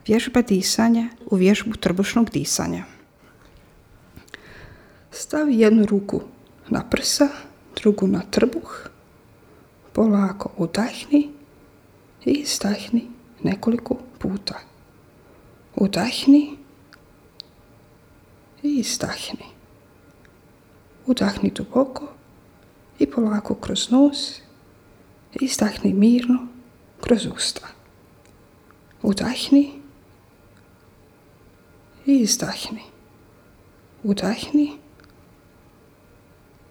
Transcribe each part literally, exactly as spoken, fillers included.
Vježba disanja u vježbu trbušnog disanja. Stavi jednu ruku na prsa, drugu na trbuh. Polako udahni i izdahni nekoliko puta. Udahni i izdahni. Udahni duboko i polako kroz nos. Izdahni mirno kroz usta. Udahni i izdahni. Udahni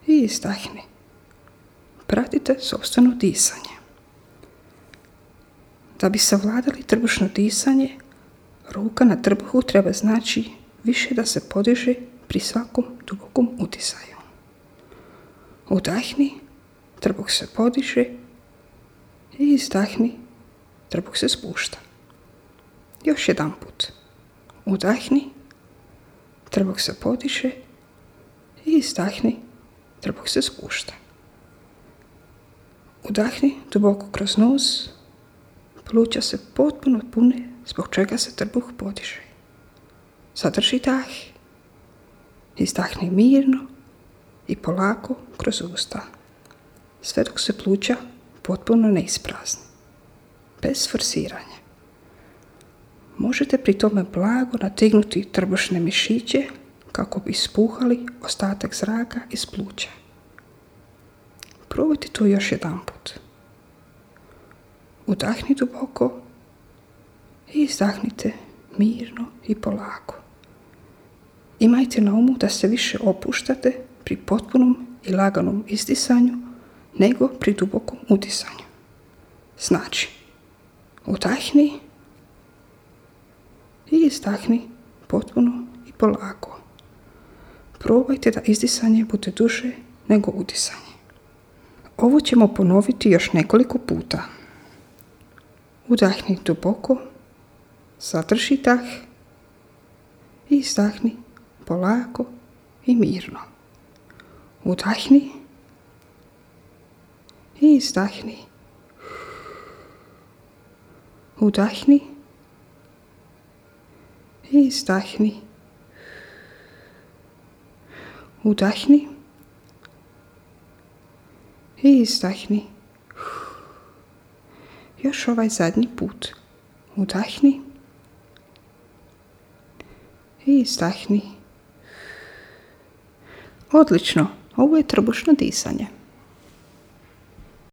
i izdahni. Pratite sopstveno disanje. Da bi savladali trbušno disanje, ruka na trbuhu treba znači više da se podiže pri svakom dubokom udisaju. Udahni, trbuh se podiže i izdahni, trbuh se spušta. Još jedan put. Udahni, trbuh se podiže i izdahni, trbuh se spušta. Udahni duboko kroz nos, pluća se potpuno pune, zbog čega se trbuh podiže. Zadrži dah, izdahni mirno i polako kroz usta, sve dok se pluća potpuno ne isprazni, bez forsiranja. Možete pri tome blago nategnuti trbušne mišiće kako bi ispuhali ostatak zraka iz pluća. Probajte to još jedan put. Udahni duboko i izdahnite mirno i polako. Imajte na umu da se više opuštate pri potpunom i laganom izdisanju nego pri dubokom udisanju. Znači, udahni i izdahni potpuno i polako. Probajte da izdisanje bude duže nego udisanje. Ovo ćemo ponoviti još nekoliko puta. Udahni duboko, zadrži dah i izdahni polako i mirno. Udahni i izdahni. Udahni i izdahni. Udahni i izdahni. Još ovaj zadnji put. Udahni i izdahni. Odlično, ovo je trbušno disanje.